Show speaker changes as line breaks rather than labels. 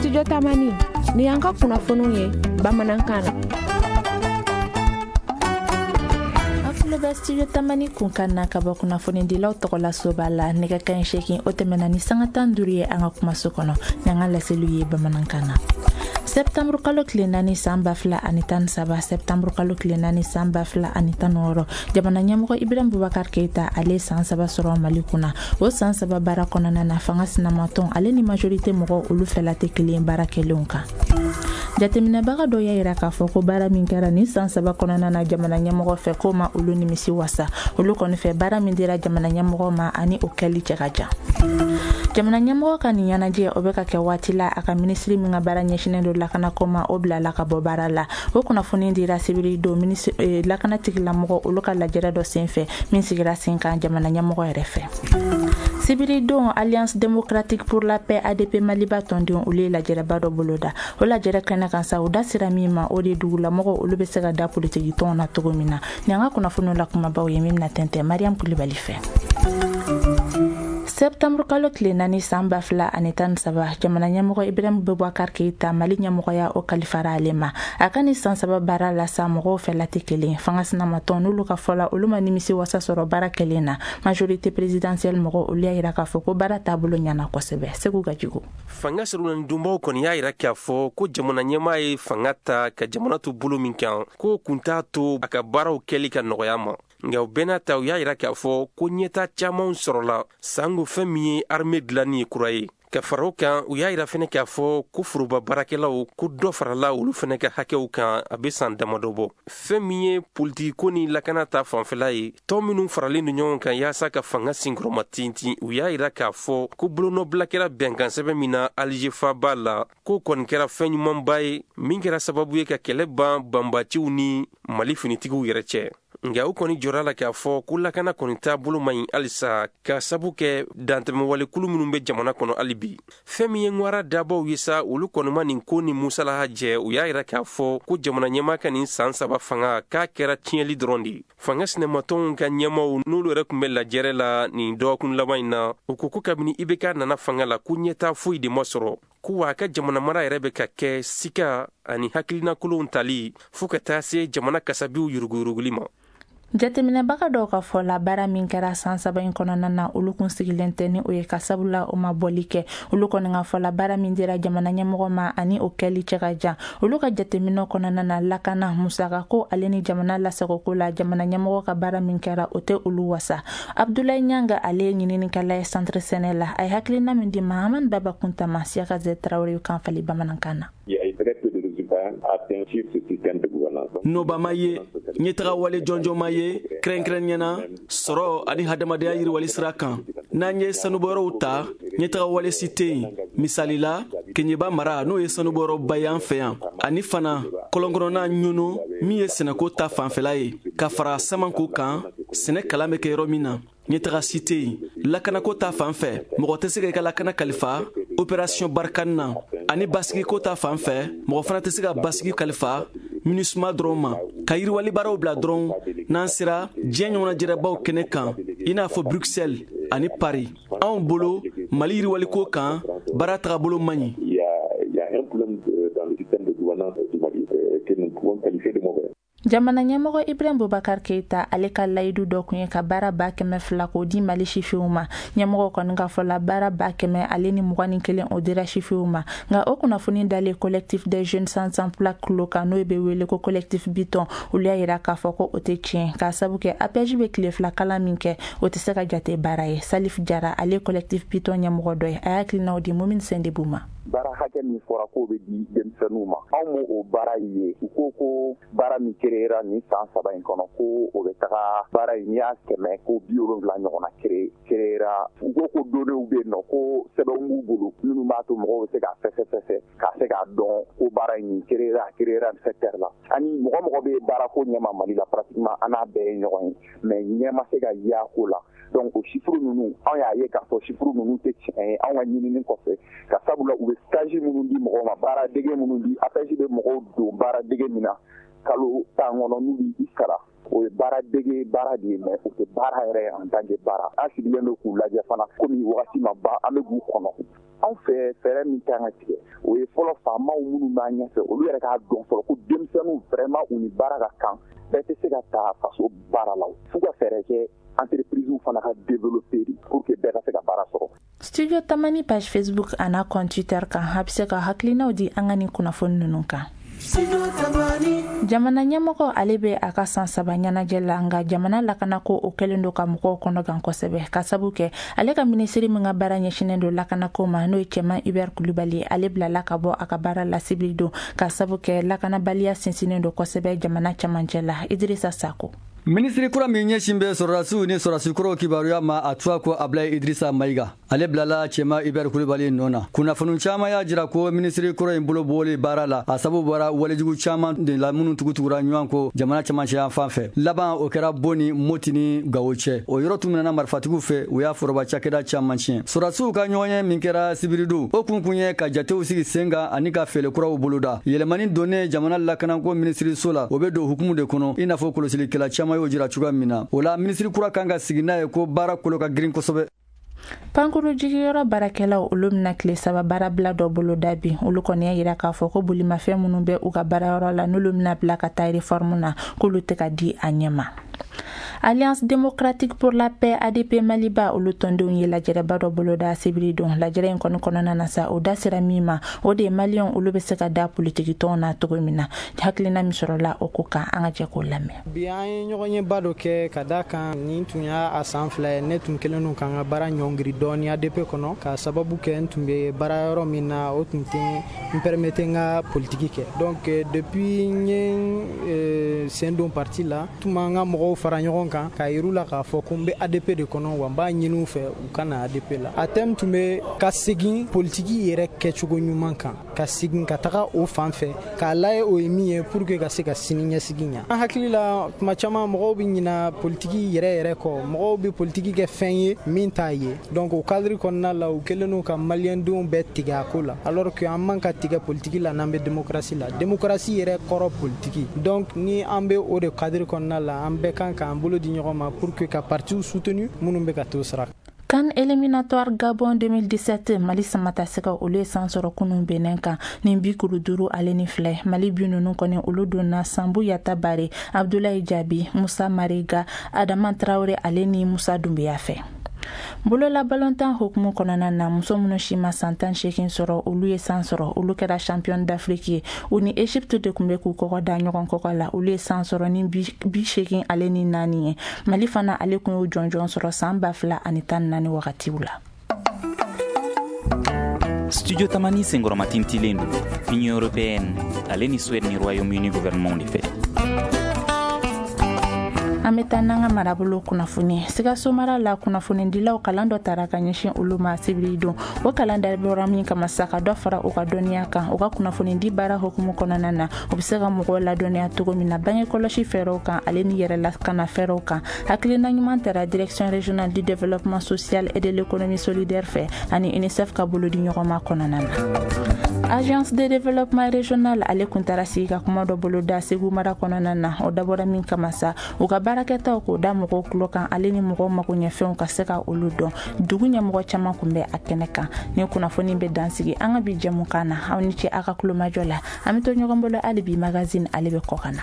Studio Tamani, ni y'an ka kunnafoniw ye bamanankan na.
Aw tulo bɛ Studio Tamani kunkan na ka bɔ kunnafonidilaw tɔgɔla soba la. Nɛgɛ kanɲɛ 8, o tɛmɛna ni sanga 15 ye an ka kumaso kɔnɔ n'an ka laseliw ye bamanankan na. Septembre kalo tile 4 san 2013, septembre kalo tile 4 san 2016, jamana ɲɛmɔgɔ Ibrahim Boubacar Keita ale san 3 sɔrɔ Mali kunna. O san 3 baara kɔnɔna na, fanga sinamatɔn ale ni majorité mɔgɔw olu fɛla tɛ kelen baara kɛlenw kan. Jateminɛbaga dɔ y'a yira k'a fɔ ko baara min kɛra nin san 3 kɔnɔna na jamana ɲɛmɔgɔ fɛ, k'o ma olu nimisi wasa. Olu kɔni fɛ, baara min dira jamana ɲɛmɔgɔ ma ani o kɛli cɛ ka jan. Jamana ɲɛmɔgɔ ka nin ɲɛnajɛ, o bɛ ka kɛ waati la a ka minisiri min ka baara ɲɛsinnen don lakanako ma, o bilala ka bɔ baara la. O kunnafoni dira sibiri don lakana tigilamɔgɔ olu ka lajɛrɛ dɔ senfɛ min sigira sen kan jamana ɲɛmɔgɔ yɛrɛ fɛ. Sibiri don, Alliance démocratique pour la paix, ADP Maliba tɔndenw olu ye lajɛrɛba dɔ boloda. O lajɛrɛ kɛnɛ kan sa, o da sira min ma, o de dugulamɔgɔw olu bɛ se ka da politiki tɔnw na cogo min na. Nin an ka kunnafoniw la kumabaw ye min bɛna tɛntɛn Mariam Kulibali fɛ. Septembre kalo tile 4 san 2013, jamana ɲɛmɔgɔ Ibrahim Boubacar Keita, Mali ɲɛmɔgɔya o kalifara ale ma. A ka ni san 3 baara la sa, mɔgɔw fɛla tɛ kelen. Fanga sinamatɔn n'olu ka fɔ la, olu ma nimisi wasa sɔrɔ baara kɛlen na. Majorité présidentielle mɔgɔw olu y'a yira k'a fɔ ko baara taabolo ɲɛna kosɛbɛ. Segu Gajigo.
Fanga sɔrɔnadonbaw kɔni y'a yira k'a fɔ ko jamana ɲɛmaa ye fanga ta ka jamana to bolo min kan, k'o kun t'a to a ka baaraw kɛli ka nɔgɔya ma. Nka o bɛɛ n'a ta, u y'a yira k'a fɔ ko ɲɛta camanw sɔrɔla, sango fɛn min ye armée dilanni ye kura ye. Ka fara o kan, u y'a yira fɛnɛ k'a fɔ ko foroba baarakɛlaw, ko dɔ farala olu fɛnɛ ka hakɛw kan a bɛ san damadɔ bɔ. Fɛn min ye politikiko ni lakana ta fanfɛla ye, tɔn minnu faralen don ɲɔgɔn kan yaasa ka fanga sinkɔrɔma tintin, u y'a yira k'a fɔ ko bolonɔbila kɛra bɛnkansɛbɛn min na Alger faaba la, k'o kɔni kɛra fɛn ɲumanba ye min kɛra sababu ye ka kɛlɛ ban banbaciw ni Mali finitigiw yɛrɛ cɛ. Nka u kɔni jɔra la k'a fɔ ko lakana kɔni taabolo man ɲi halisa, ka sabu kɛ dantɛmɛwalekulu minnu bɛ jamana kɔnɔ hali bi. Fɛn min ye ŋwara dabaw ye sa, olu kɔni ma nin ko ni musalaha jɛ. U y'a yira k'a fɔ ko jamana ɲɛmaa ka nin san 3 fanga k'a kɛra tiɲɛli dɔrɔn de ye. Fanga sinamatɔnw ka ɲɛmaw n'olu yɛrɛ tun bɛ lajɛrɛ la nin dɔgɔkun laban in na, u ko ko kabini IBK nana fanga la, ko ɲɛta foyi de ma sɔrɔ, ko wa a ka jamana mara yɛrɛ bɛ ka kɛ sika ani hakilinakolonw tali fɔɔ ka taa se jamana kasabiw yuruguyuruguli ma.
Jateminɛbaga dɔw ka fɔ la, baara min kɛra san 3 in kɔnɔna na, olu kun sigilen tɛ ni o ye, ka sabula o ma bɔli kɛ. Olu kɔni ka fɔ la, baara min dira jamana ɲɛmɔgɔ ma ani o kɛli cɛ ka jan. Olu ka jateminɛ kɔnɔna na, lakana musakako ale ni jamana lasagoko la, jamana ɲɛmɔgɔ ka baara min kɛra, o tɛ olu wasa. Abdoulaye Ɲanga, ale ye ɲininikɛla ye centre sɛnɛ la. A ye hakilina min di Mahamani Baba Kuntama, Siyaka Zɛ Tarawele kan fali bamanankan na.
Nɔba ma ye, ɲɛtaga wale jɔnjɔn ma ye, kɛrɛnkɛrɛnnenya sɔrɔ ani hadamadenya yiriwali sira kan. N'an ye sanubɔyɔrɔw ta, ɲɛtaga wale si tɛ yen. Misali la, Keɲeba mara, n'o ye sanubɔyɔrɔba ye an fɛ yan, ani fana kɔlɔnkɔnɔna ɲono min ye sɛnɛko ta fanfɛla ye, ka fara samanko kan, sɛnɛ kalan bɛ kɛ yɔrɔ min na, ɲɛtaga si tɛ yen. Lakanako ta fan fɛ, mɔgɔ tɛ se ka i ka lakana kalifa opération Barkhane na, ani basigiko ta fan fɛ, mɔgɔ fana tɛ se ka basigi kalifa MINUSMA dɔrɔn ma. Ka yiriwali baaraw bila dɔrɔn, n'an sera diɲɛ ɲɔgɔnnajɛrɛbaw kɛnɛ kan, i n'a fɔ Bruxelles ani Paris, anw bolo Mali yiriwaliko kan, baara tagabolo man ɲi.
Jamana ɲɛmɔgɔ Ibrahim Boubacar Keita ale ka layidu dɔ kun ye ka baara 200,000 k'o di Mali sifinw ma. Ɲɛmɔgɔ kɔni ka fɔ la, baara 121,000 o dira sifinw ma. Nka o kunnafoni dalen collectif des jeunes sans emploi kulo kan, n'o bɛ wele ko collectif Biton, olu y'a yira k'a fɔ ko o tɛ tiɲɛ, k'a sabu kɛ APEJ bɛ tile 2 kalan min kɛ, o tɛ se ka jate baara ye. Salif Jara, ale collectif Biton ɲɛmɔgɔ dɔ ye, a y'a hakilinaw di Mumini Sendebu ma.
Baara hakɛ min fɔra k'o bɛ di denmisɛnninw ma, anw m'o o baara ye. U ko ko baara min créera nin san 3 in kɔnɔ, ko o bɛ taga baara in, n'i y'a kɛmɛ ko 70 ɲɔgɔnna créera. U ko ko données bɛ yen nɔ, ko sɛbɛnw b'u bolo minnu b'a to mɔgɔw bɛ se k'a fɛsɛfɛsɛ ka se k'a dɔn ko baara in créera secteur la. Ani mɔgɔ mɔgɔ bɛ baarako ɲɛma Mali la, pratiquement an n'a bɛɛ ye ɲɔgɔn ye, mais ɲɛ ma se ka y'a ko la. Donc o chiffre ninnu, anw y'a ye k'a fɔ chiffre ninnu tɛ tiɲɛ ye anw ka ɲinini kɔfɛ, ka sabula u bɛ stage minnu di mɔgɔw ma, baara dege minnu di, APEJ bɛ mɔgɔw don baara dege min na kalo 10 kɔnɔ, n'u b'i sara, o ye baara dege baara de ye, mais o tɛ baara yɛrɛ ye en tant que baara. An sigilen don k'u lajɛ fana, komi wagati ma ban, an bɛ k'u kɔnɔ. Anw fɛ, fɛɛrɛ min kan ka tigɛ, o ye fɔlɔ, faamaw minnu b'an ɲɛfɛ, olu yɛrɛ k'a dɔn fɔlɔ ko denmisɛnninw vraiment, u ni baara ka kan. Bɛɛ tɛ se ka ta faso baara la. F'u ka fɛɛrɛ kɛ, entreprise fana ka développer pour que bɛɛ ka se ka baara sɔrɔ.
Studio Tamani page Facebook a n'a compte Twitter kan, a bɛ se ka hakilinaw di an ka nin kunnafoni ninnu kan. Jamana ɲɛmɔgɔ, ale bɛ a ka san 3 ɲɛnajɛ la, nka jamana lakanako, o kɛlen don ka mɔgɔw kɔnɔgan kosɛbɛ, ka sabu kɛ ale ka minisiri min ka baara ɲɛsinen don lakanako ma, n'o ye Cɛman Hubert Kulubali, ale bilala ka bɔ a ka baara la sibiri don, ka sabu kɛ lakanabaliya sinsinnen don kosɛbɛ jamana camancɛ la. Idirisa Sako.
Minisiri kura min ɲɛsin bɛ sɔrɔdasiw ni sɔrɔdasikɔrɔw kibaruya ma, a tɔgɔ ko Abulayi Idirisa Mayiga, ale bilala Cɛma Hubert Kulubali nɔ na. Kunnafoni caman y'a jira ko minisiri kɔrɔ in bolo bɔli baara la, a sababu bɔra walejugu caman de la minnu tugutugura ɲɔgɔn ko jamana camancɛ fan fɛ. Laban o kɛra Bon ni Moti ni Gawo cɛ. O yɔrɔ tun minɛna marifatigiw fɛ, u y'a foroba cakɛda caman tiɲɛ. Sɔrɔdasiw ka ɲɔgɔnye min kɛra sibiridon, o kun kun ye ka jatew sigi sen kan ani ka fɛɛrɛ kuraw boloda. Yɛlɛmani donnen jamana lakanako minisiriso la, o bɛ don hukumu de kɔnɔ, i n'a fɔ kɔlɔsilikɛla caman y'o jira cogoya min na. O la, minisiri kura kan ka sigi n'a ye ko baara kolo ka girin kosɛbɛ.
Pankuru jigiyɔrɔ baarakɛlaw, olu bɛna tile 3 baarabila dɔ boloda bi. Olu kɔni y'a yira k'a fɔ ko bolimafɛn minnu bɛ u ka baarayɔrɔ la, n'olu bɛna bila ka taa réforme na, k'olu tɛ ka di a ɲɛ ma. Alliance démocratique pour la paix, ADP Maliba, olu tɔndenw ye lajɛrɛba dɔ boloda sibiri don. Lajɛrɛ in kɔni kɔnɔna na sa, o da sera min ma, o de ye Maliyɛnw, olu bɛ se ka da politiki tɔnw na cogo min na. Hakilina min sɔrɔla o ko kan, an ka jɛ k'o lamɛn.
Bi, an ye ɲɔgɔn dɔ kɛ ka da kan nin tun y'a a san 2 ye. Ne tun kɛlen don k'an ka baara ɲɔngiri dɔɔni ADP kɔnɔ, ka sababu kɛ n tun bɛ baara yɔrɔ min na, o tun tɛ n permettre n ka politiki kɛ. Donc depuis n ye sen don parti la, tun b'an ka mɔgɔw fara ɲɔgɔn kan k'a yir'u la k'a fɔ ko n bɛ ADP de kɔnɔ, wa n b'a ɲini u fɛ u ka na ADP la. A thème tun bɛ ka segin politiki yɛrɛ kɛcogo ɲuman kan, ka segin ka taga o fan fɛ, k'a lajɛ o ye min ye pour que ka se ka sini ɲɛsigi ɲa. An hakili la, tuma caman mɔgɔw bɛ ɲina politiki yɛrɛ yɛrɛ kɔ, mɔgɔw bɛ politiki kɛ fɛn ye min t'a ye. Donc o cadre kɔnɔna la, u kɛlen don ka maliyɛndenw bɛɛ tigɛ a ko la, alors que an man ka tigɛ politiki la n'an bɛ démocratie la. Démocratie yɛrɛ kɔrɔ politiki. Donc ni an bɛ o de cadre kɔnɔna la, an bɛɛ kan k'an bolo di ɲɔgɔn ma pour que ka partiw soutenu minnu bɛ ka t'o sira.
CAN éliminatoire Gabon 2017, Mali samatasɛgɛw, olu ye san sɔrɔ kunun Benin kan ni bi kuru duuru ale ni filɛ. Mali bi ninnu kɔni, olu donna Sanbu Yatabare, Abdulayi Jabi, Musa Mariga, Adama Tarawele ale ni Musa Dunbiya fɛ. Bolola balontan hukumu kɔnɔna na, muso minnu si ma san 18 sɔrɔ, olu ye san sɔrɔ. Olu kɛra champion d'Afrique ye. U ni Egypte de tun bɛ k'u kɔgɔ da ɲɔgɔn kɔgɔ la. Olu ye san sɔrɔ ni 84 ye. Mali fana, ale tun y'o jɔnjɔn sɔrɔ san 2014 wagatiw la.
Studio Tamani senkɔrɔmatintilen don Union européenne ale ni Suède ni Royaume-Uni gouvernement de fɛ.
An bɛ taa n'an ka marabolo kunnafoni. Sikaso mara la, kunnafonidilaw kalan dɔ tara ka ɲɛsin olu ma sibiri don. O kalan dabɔra min kama sa, ka dɔ fara u ka dɔnniya kan u ka kunnafonidi baara hukumu kɔnɔna na, u bɛ se ka mɔgɔw ladɔnniya cogo min na bange kɔlɔsi fɛɛrɛw kan ale ni yɛrɛ lakana fɛɛrɛw kan. Hakilina ɲuman tara Direction régionale du développement social et de l'économie solidaire fɛ ani UNICEF ka bolodi ɲɔgɔnma kɔnɔna na. Agence de développement régional, ale kun taara sigi ka kuma dɔ boloda Segu mara kɔnɔna na. O dabɔra min kama sa, u ka baarakɛtaw k'o da mɔgɔw tulo kan ale ni mɔgɔw magoɲɛfɛnw ka se ka olu dɔn. Dugu ɲɛmɔgɔ caman kun bɛ a kɛnɛ kan. Ni kunnafoni bɛ dansigi an ka bi jɛmukan na. Aw ni ce aw ka kulomajɔ la. An bɛ to ɲɔgɔn bolo hali bi. Magazine, ale bɛ kɔ ka na.